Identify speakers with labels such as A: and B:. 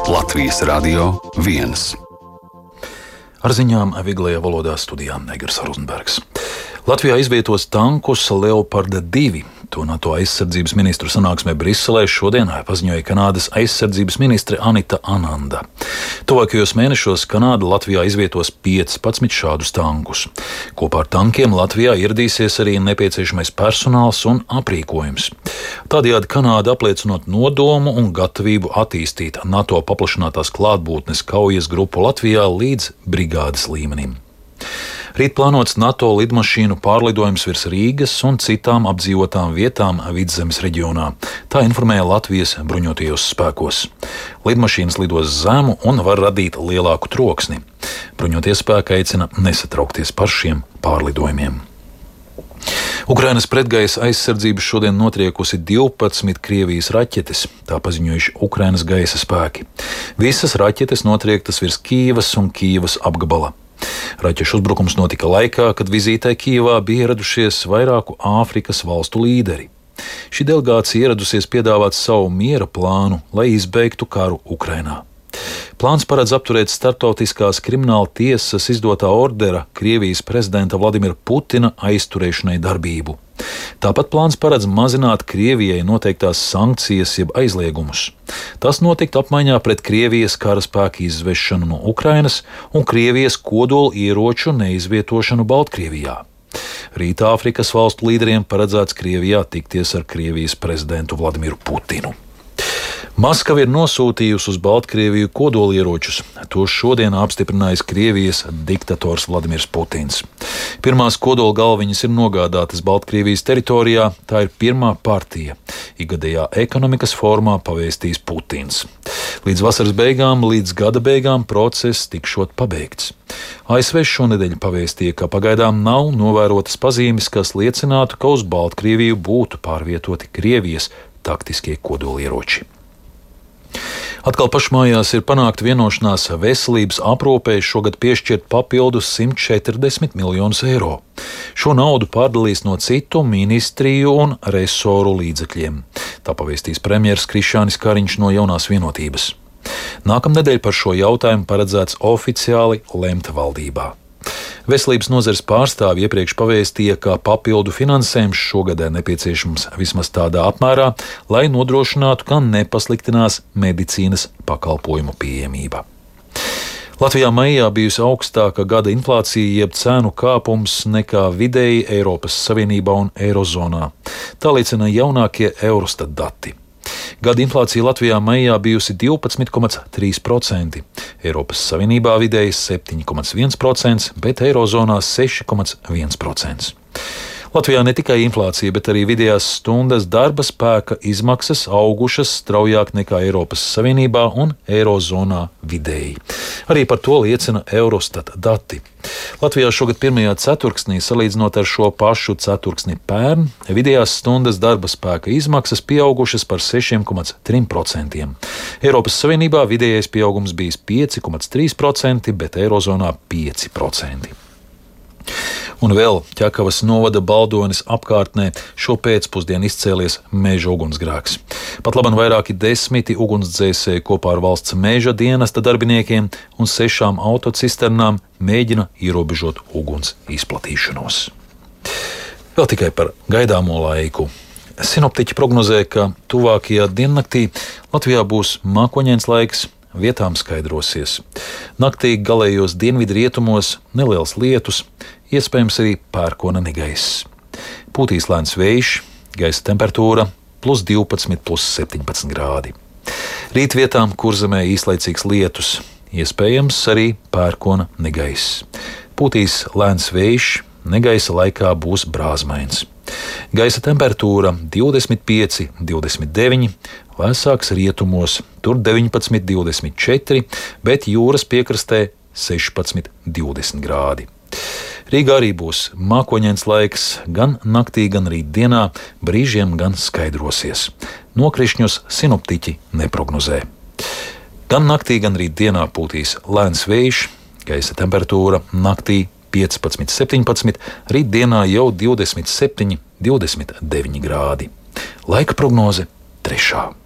A: Latvijas Radio 1.
B: Ar ziņām viglajā valodā studijā Negers Rozenbergs. Latvijā izvietos tankus Leoparda 2. To NATO aizsardzības ministru sanāksmē Briselē šodien paziņoja Kanādas aizsardzības ministre Anita Ananda. Tuvākajos mēnešos Kanāda Latvijā izvietos 15 šādus tankus. Kopā ar tankiem Latvijā ieradīsies arī nepieciešamais personāls un aprīkojums. Tādējādi Kanāda apliecinot nodomu un gatavību attīstīt NATO paplašinātās klātbūtnes kaujas grupu Latvijā līdz brigādes līmenim. Rīt plānots NATO lidmašīnu pārlidojums virs Rīgas un citām apdzīvotām vietām Vidzemes reģionā. Tā informēja Latvijas bruņotajos spēkos. Lidmašīnas lidos zemu un var radīt lielāku troksni. Bruņotie spēki aicina nesatraukties par šiem pārlidojumiem. Ukrainas pretgaisa aizsardzība šodien notriekusi 12 Krievijas raķetes, tā paziņojuši Ukrainas gaisa spēki. Visas raķetes notriektas virs Kīivas un Kīivas apgabala. Raķešu uzbrukums notika laikā, kad vizītē Kijevā bija ieradušies vairāku Āfrikas valstu līderi. Šī delegācija ieradusies piedāvāt savu miera plānu, lai izbeigtu karu Ukrainā. Plāns paredz apturēt starptautiskās krimināla tiesas izdotā ordera Krievijas prezidenta Vladimira Putina aizturēšanai darbību. Tāpat plāns paredz mazināt Krievijai noteiktās sankcijas jeb aizliegumus. Tas notiktu apmaiņā pret Krievijas karaspēku izvešanu no Ukrainas un Krievijas kodola ieroču neizvietošanu Baltkrievijā. Rīt Āfrikas valstu līderiem paredzēts Krievijā tikties ar Krievijas prezidentu Vladimiru Putinu. Maskava ir nosūtījusi uz Baltkrieviju kodolieročus. To šodien apstiprinājis Krievijas diktators Vladimirs Putins. Pirmās kodola galviņas ir nogādātas Baltkrievijas teritorijā, tā ir pirmā partija. Ikgadējā ekonomikas formā pavēstīs Putins. Līdz vasaras beigām, līdz gada beigām process tikšot pabeigts. ASV šonedēļ pavēstīja, ka pagaidām nav novērotas pazīmes, kas liecinātu, ka uz Baltkrieviju būtu pārvietoti Krievijas taktiskie kodolieroči. Atkal pašmājās ir panākta vienošanās veselības aprūpei šogad piešķirt papildus 140 miljonus eiro. Šo naudu pārdalīs no citu ministriju un resoru līdzekļiem. Tā pavēstīs premjeras Krišjānis Kariņš no Jaunās vienotības. Nākamnedēļ par šo jautājumu paredzēts oficiāli lemt valdībā. Veselības nozares pārstāvji iepriekš pavēstīja, ka papildu finansējums šogad nepieciešams vismaz tādā apmērā, lai nodrošinātu, ka nepasliktinās medicīnas pakalpojumu pieejamība. Latvijā maijā bijusi augstāka gada inflācija jeb cēnu kāpums nekā vidēji Eiropas Savienībā un Eirozonā. Tā liecina jaunākie Eurostat dati. Gada inflācija Latvijā maijā bijusi 12,3%, Eiropas Savienībā vidēji 7,1%, bet Eirozonā 6,1%. Latvijā ne tikai inflācija, bet arī vidējās stundas darba spēka izmaksas augušas straujāk nekā Eiropas Savienībā un Eirozonā vidēji. Arī par to liecina Eurostat dati. Latvijā šogad pirmajā ceturksnī, salīdzinot ar šo pašu ceturksni pērn, vidējās stundas darba spēka izmaksas pieaugušas par 6,3%. Eiropas Savienībā vidējais pieaugums bijis 5,3%, bet Eirozonā 5%. Un vēl Ķekavas novada Baldones apkārtnē šo pēcpusdienu izcēlies meža ugunsgrēks. Pat labam vairāki desmiti ugunsdzēsēji kopā ar valsts meža dienesta darbiniekiem un 6 autocisternām mēģina ierobežot uguns izplatīšanos. Vēl tikai par gaidāmo laiku. Sinoptiķi prognozē, ka tuvākajā diennaktī Latvijā būs mākoņains laiks, vietām skaidrosies. Naktī galējos dienvidrietumos neliels lietus, iespējams arī pērkona negaiss. Pūtīs lēns vējš, gaisa temperatūra +12, +17 grādi. Rīt vietām Kurzemē īslaicīgs lietus, iespējams arī pērkona negaiss. Pūtīs lēns vējš, negaisa laikā būs brāzmains. Gaisa temperatūra 25, 29, vēsāks rietumos, tur 19, 24, bet jūras piekrastē 16, 20 grādi. Rīgā arī būs mākoņains laiks, gan naktī, gan rītdienā, brīžiem gan skaidrosies. Nokrišņus sinoptiķi neprognozē. Gan naktī, gan rītdienā pūtīs lēns vējš, gaisa temperatūra naktī 15, 17, rītdienā jau 27, 29 grādi. Laika prognoze 3.